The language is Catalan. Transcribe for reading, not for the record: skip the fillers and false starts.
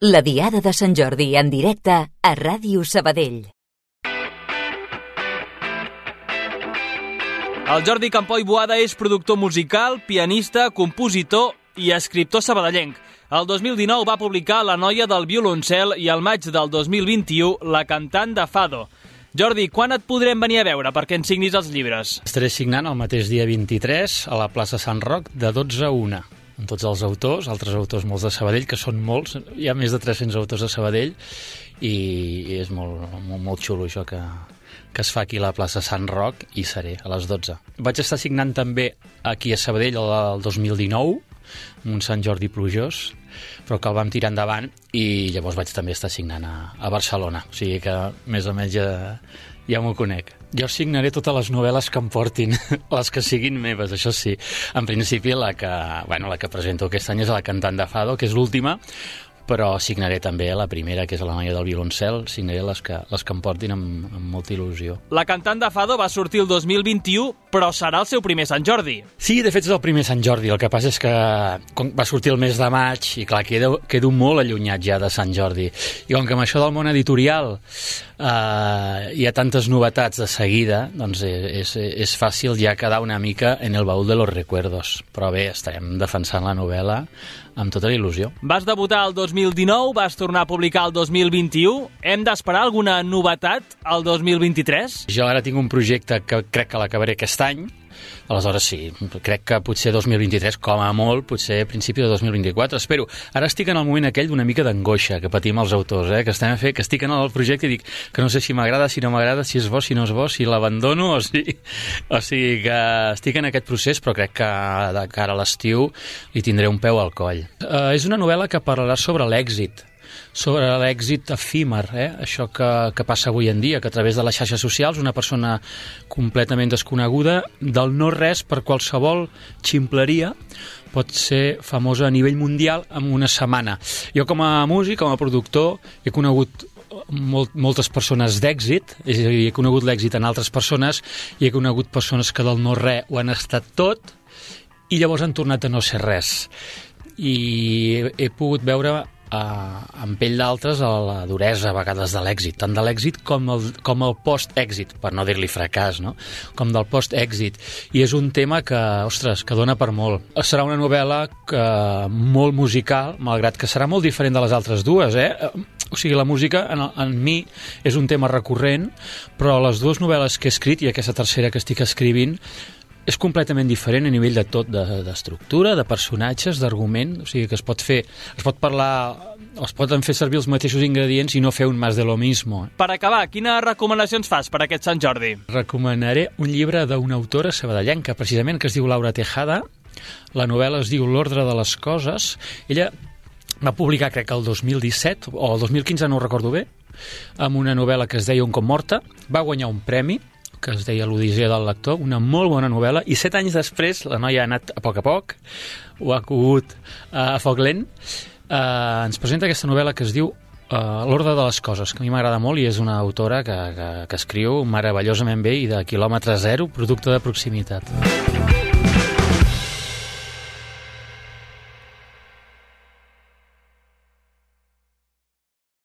La Diada de Sant Jordi en directe a Ràdio Sabadell. El Jordi Campoy Boada és productor musical, pianista, compositor i escriptor sabadellenc. El 2019 va publicar La noia del violoncel i al maig del 2021 La cantant de Fado. Jordi, quan et podrem venir a veure perquè ens signis els llibres? Estaré signant el mateix dia 23 a la plaça Sant Roc de 12 a 1. Amb tots els autors, altres autors molts de Sabadell, que són molts, hi ha més de 300 autors de Sabadell, i és molt xulo això que es fa aquí a la plaça Sant Roc, i seré a les 12. Vaig estar signant també aquí a Sabadell el 2019, un Sant Jordi plujós, però que el vam tirar endavant, i llavors vaig també estar signant a Barcelona, o sigui que més o menys ja m'ho conec. Jo signaré totes les novel·les que em portin, les que siguin meves, això sí. En principi, la que presento aquest any és La cantant de Fado, que és l'última, però signaré també la primera, que és La noia del violoncel, signaré les que em portin amb molta il·lusió. La cantant de Fado va sortir el 2021, però serà el seu primer Sant Jordi. Sí, de fet és el primer Sant Jordi, el que passa és que va sortir el mes de maig i clar, quedo molt allunyat ja de Sant Jordi. I com que amb això del món editorial hi ha tantes novetats de seguida, doncs és fàcil ja quedar una mica en el baúl de los recuerdos. Però bé, estarem defensant la novel·la amb tota la il·lusió. Vas debutar el 2019, vas tornar a publicar el 2021. Hem d'esperar alguna novetat al 2023? Jo ara tinc un projecte que crec que l'acabaré aquest any. Aleshores sí, crec que potser 2023, com a molt, potser a principi de 2024, espero. Ara estic en el moment aquell d'una mica d'angoixa que patim els autors, que estic en el projecte i dic que no sé si m'agrada, si no m'agrada, si és bo, si no és bo, si l'abandono o sigui que estic en aquest procés, però crec que de cara a l'estiu li tindré un peu al coll. És una novel·la que parlarà sobre l'èxit efímer, això que passa avui en dia, que a través de les xarxes socials una persona completament desconeguda del no-res per qualsevol ximpleria pot ser famosa a nivell mundial en una setmana. Jo com a músic, com a productor, he conegut moltes persones d'èxit, és a dir, he conegut l'èxit en altres persones i he conegut persones que del no-res ho han estat tot i llavors han tornat a no ser res. I he pogut veure en pell d'altres la duresa a vegades de l'èxit, tant de l'èxit com el post-èxit, per no dir-li fracàs, no? Com del post-èxit. I és un tema que dona per molt. Serà una novel·la molt musical, malgrat que serà molt diferent de les altres dues, O sigui, la música en mi és un tema recurrent, però les dues novel·les que he escrit i aquesta tercera que estic escrivint és completament diferent a nivell de tot, d'estructura, de personatges, d'argument, o sigui que es pot poden fer servir els mateixos ingredients i no fer un más de lo mismo. Per acabar, quines recomanacions fas per aquest Sant Jordi? Recomanaré un llibre d'una autora sabadellenca, precisament, que es diu Laura Tejada. La novel·la es diu L'ordre de les coses. Ella va publicar, crec que el 2017, o el 2015, no ho recordo bé, amb una novel·la que es deia Un cop morta. Va guanyar un premi que es deia L'Odissea del lector, una molt bona novel·la, i 7 anys després la noia ha anat a poc, ho ha cogut a foc lent, ens presenta aquesta novel·la que es diu L'ordre de les coses, que a mi m'agrada molt i és una autora que escriu meravellosament bé i de quilòmetre zero, producte de proximitat.